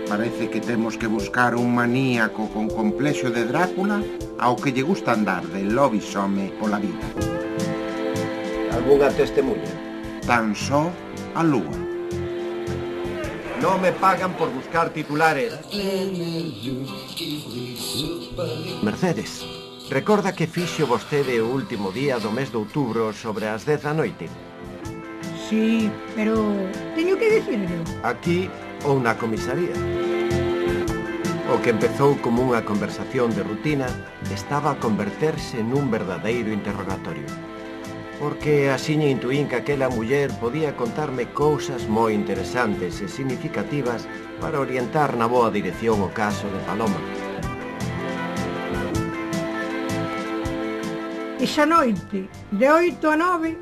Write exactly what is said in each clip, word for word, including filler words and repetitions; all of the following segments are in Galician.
Parece que temos que buscar un maníaco con complexo de Drácula ao que lle gusta andar de lobisome pola vida. Algunha testemunha? Tan só a lúa. Non me pagan por buscar titulares. Mercedes, recorda que fixo vostede o último día do mes de outubro sobre as dez da noite? Sí, pero teño que dicirlo. Aquí ou na comisaría. O que empezou como unha conversación de rutina estaba a converterse nun verdadeiro interrogatorio. Porque axiña intuín que aquela muller podía contarme cousas moi interesantes e significativas para orientar na boa dirección o caso de Paloma. Esa noite, de oito a nove,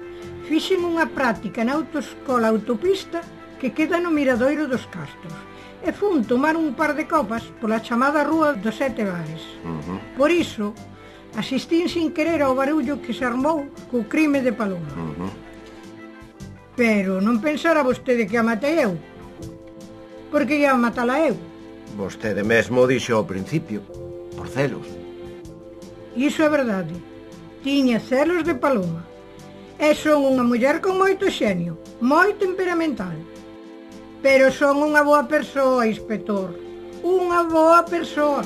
fixen unha práctica na autoescola autopista que queda no Miradoiro dos Castros e fun tomar un par de copas pola chamada Rúa dos Sete Bares. Uh-huh. Por iso, asistín sin querer ao barullo que se armou co crime de Paloma. Uh-huh. Pero non pensara vostede que a matei eu, porque ia matala eu. Vostede mesmo dixo ao principio, por celos. Iso é verdade. Tiña celos de Paloma. E son unha muller con moito xenio, moi temperamental. Pero son unha boa persoa, inspector. Unha boa persoa.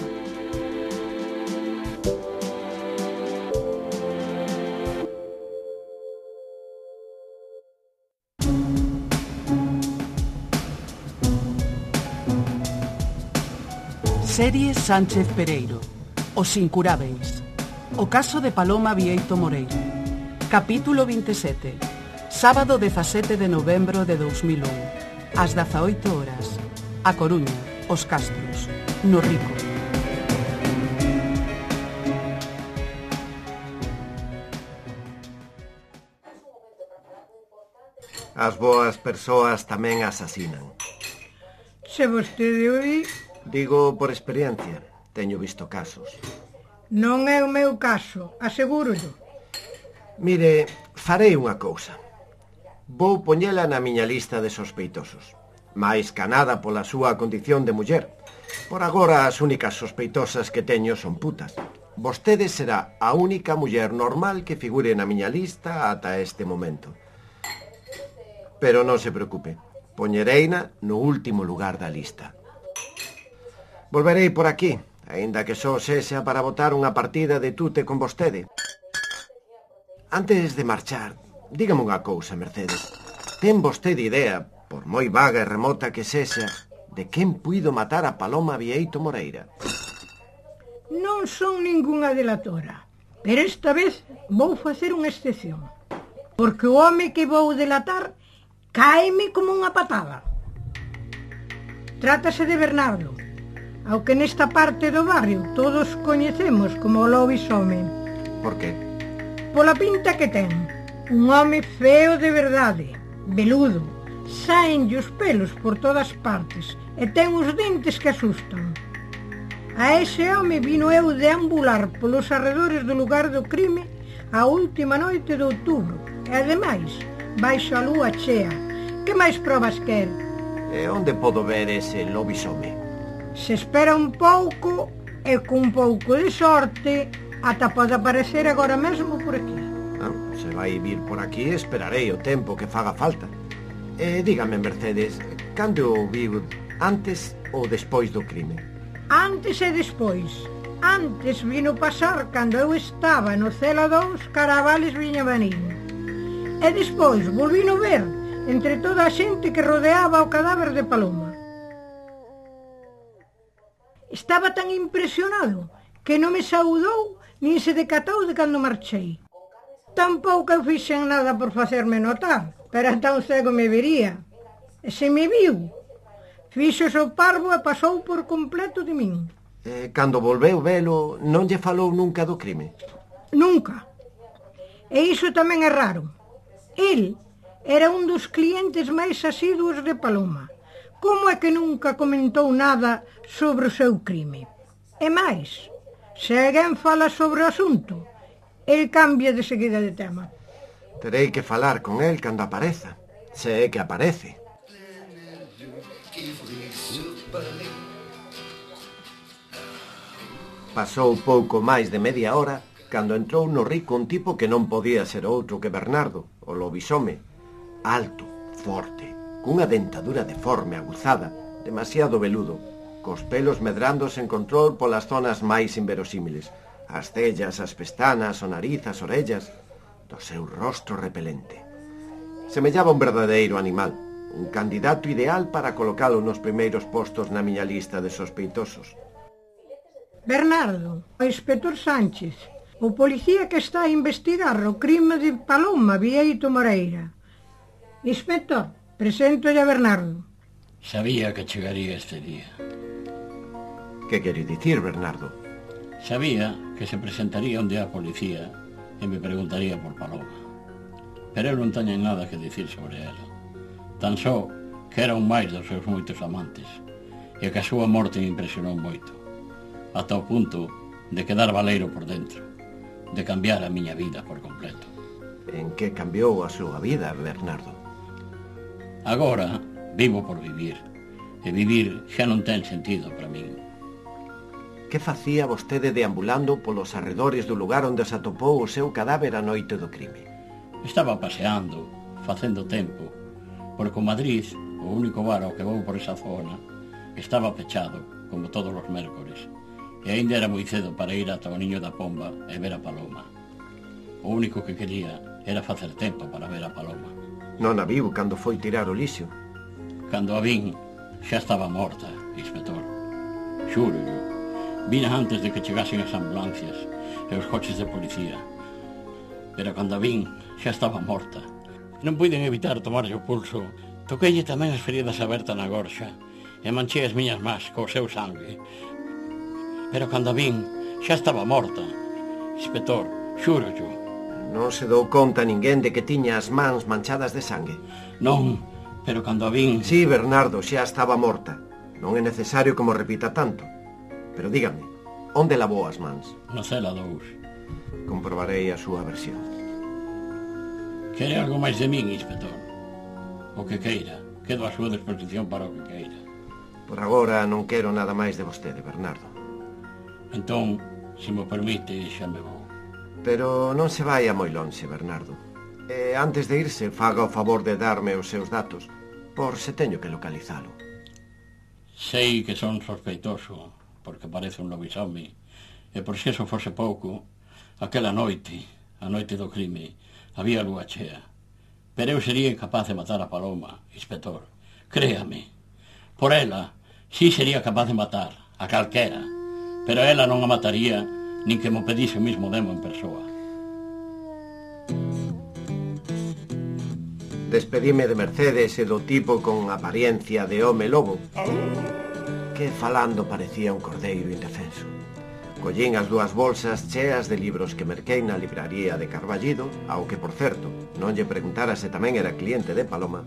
Serie Sánchez Pereiro, Os Incurábeis. O caso de Paloma Bieito Moreira. Capítulo veintisiete. Sábado dezasete de novembro de dos mil un. Ás dezaoito horas. A Coruña, Os Castros, no Rico. As boas persoas tamén asasinan. Se vostede o di... Digo por experiencia, teño visto casos. Non é o meu caso, asegúrollo. Mire, farei unha cousa. Vou poñela na miña lista de sospeitosos. máis ca nada pola súa condición de muller. Por agora as únicas sospeitosas que teño son putas. Vostede será a única muller normal que figure na miña lista ata este momento. Pero non se preocupe, poñereina no último lugar da lista. Volverei por aquí, aínda que só sexa para botar unha partida de tute con vostede. Antes de marchar, dígame unha cousa, Mercedes. Ten vostede idea, por moi vaga e remota que sexa, de quen puido matar a Paloma Bieito Moreira? Non son ningunha delatora, pero esta vez vou facer unha excepción. Porque o home que vou delatar cáeme como unha patada. Trátase de Bernardo, ao que nesta parte do barrio todos coñecemos como o lobisome. Por que? Pola pinta que ten. Un home feo de verdade, veludo, saenlle os pelos por todas partes e ten os dentes que asustan. A ese home vino eu deambular polos arredores do lugar do crime a última noite de outubro e, ademais, baixo a lúa chea. Que máis probas quer? E onde podo ver ese lobisome? Se espera un pouco e cun pouco de sorte ata pode aparecer agora mesmo por aquí. Ah, se vai vir por aquí, esperarei o tempo que faga falta. E dígame, Mercedes, cando o viu, antes ou despois do crime? Antes e despois. Antes vino pasar cando eu estaba no Cela dous Caravales Viñamarín. E despois volvino ver entre toda a xente que rodeaba o cadáver de Paloma. Estaba tan impresionado que non me saudou nin se decatou de cando marchei. Tampouco eu fixen nada por facerme notar, pero tan cego me vería. E se me viu, fixo o parvo e pasou por completo de min. E cando volveu velo, non lle falou nunca do crime? Nunca. E iso tamén é raro. El era un dos clientes máis asiduos de Paloma. Como é que nunca comentou nada sobre o seu crime? E máis, se alguén fala sobre o asunto, el cambia de seguida de tema. Terei que falar con el cando apareza, se é que aparece. Pasou pouco máis de media hora cando entrou no rico un tipo que non podía ser outro que Bernardo, o lobisome, alto, forte, cunha dentadura deforme aguzada, demasiado veludo, cos pelos medrando sen control polas zonas máis inverosímiles, as cellas, as pestanas, o nariz, as orellas, do seu rostro repelente. Semellaba un verdadeiro animal, un candidato ideal para colocalo nos primeiros postos na miña lista de sospeitosos. Bernardo, o inspector Sánchez, o policía que está a investigar o crime de Paloma Vieito Moreira. Inspector, preséntolle a Bernardo. Sabía que chegaría este día. Que quere dicir, Bernardo? Sabía que se presentaría un día a policía e me preguntaría por Paloma. Pero eu non teño nada que dicir sobre ela. Tan só que era un máis dos seus moitos amantes e que a súa morte me impresionou moito, ata o punto de quedar baleiro por dentro, de cambiar a miña vida por completo. En que cambiou a súa vida, Bernardo? Agora vivo por vivir, e vivir xa non ten sentido para min. Que facía vostede deambulando polos arredores do lugar onde se atopou o seu cadáver a noite do crime? Estaba paseando, facendo tempo, porque o Madrid, o único bar ao que vou por esa zona, estaba pechado, como todos os mércores, e aínda era moi cedo para ir ata o Niño da Pomba e ver a Paloma. O único que quería era facer tempo para ver a Paloma. Non a viu cando foi tirar o lixo? Cando a vin, xa estaba morta, inspector. Xuro yo. Vina antes de que chegasen as ambulancias e os coches de policía. Pero cando a vin, xa estaba morta. Non puiden evitar tomarlle o pulso. Toqueille tamén as feridas abertas na gorxa e manchei as miñas más co seu sangue. Pero cando a vin, xa estaba morta. Inspector, xuro yo. Non se dou conta ninguén de que tiña as mans manchadas de sangue? Non, pero cando a vin... Sí, Bernardo, xa estaba morta. Non é necesario que mo repita tanto. Pero dígame, onde lavou as mans? Na cela dous. Comprobarei a súa versión. Quere algo máis de min, inspector? O que queira. Quedo a súa disposición para o que queira. Por agora non quero nada máis de vostede, Bernardo. Entón, se me permite, xa me vou. Pero non se vai a moi lonxe, Bernardo. E antes de irse, faga o favor de darme os seus datos, por se teño que localizalo. Sei que son sospeitoso, porque parece un lobisome, e por se eso fose pouco, aquela noite, a noite do crime, había lúa chea. Pero eu sería incapaz de matar a Paloma, inspector. Créame. Por ela, sí sería capaz de matar, a calquera, pero ela non a mataría nin que mo pedise o mismo demo en persoa. Despedime de Mercedes e do tipo con apariencia de home lobo, que falando parecía un cordeiro indefenso. Collín as dúas bolsas cheas de libros que merquei na libraría de Carballido, ao que, por certo, non lle preguntara se tamén era cliente de Paloma,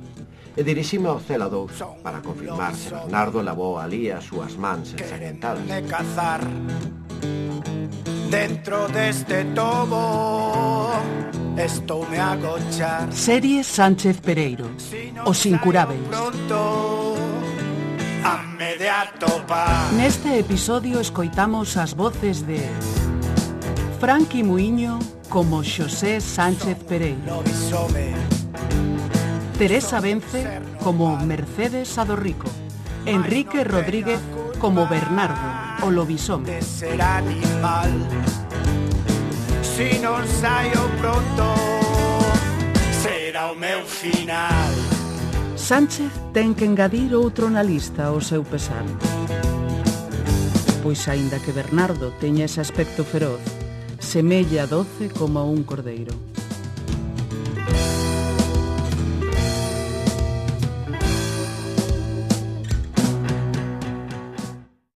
e dirixime ao cela dous para confirmar se Bernardo lavou alí as súas mans ensangrentadas. Dentro deste tobo estoume a agochar. Serie Sánchez Pereiro, Os Incurábeis. Neste episodio escoitamos as voces de Franqui Muiño como Xosé Sánchez Pereiro, Teresa Vence como Mercedes Adorrico, Enrique Rodríguez como Bernardo, o lobisome. Si non saio pronto, será o meu final. Sánchez ten que engadir outro na lista ao seu pesar. Pois aínda que Bernardo teña ese aspecto feroz, semella doce como un cordeiro.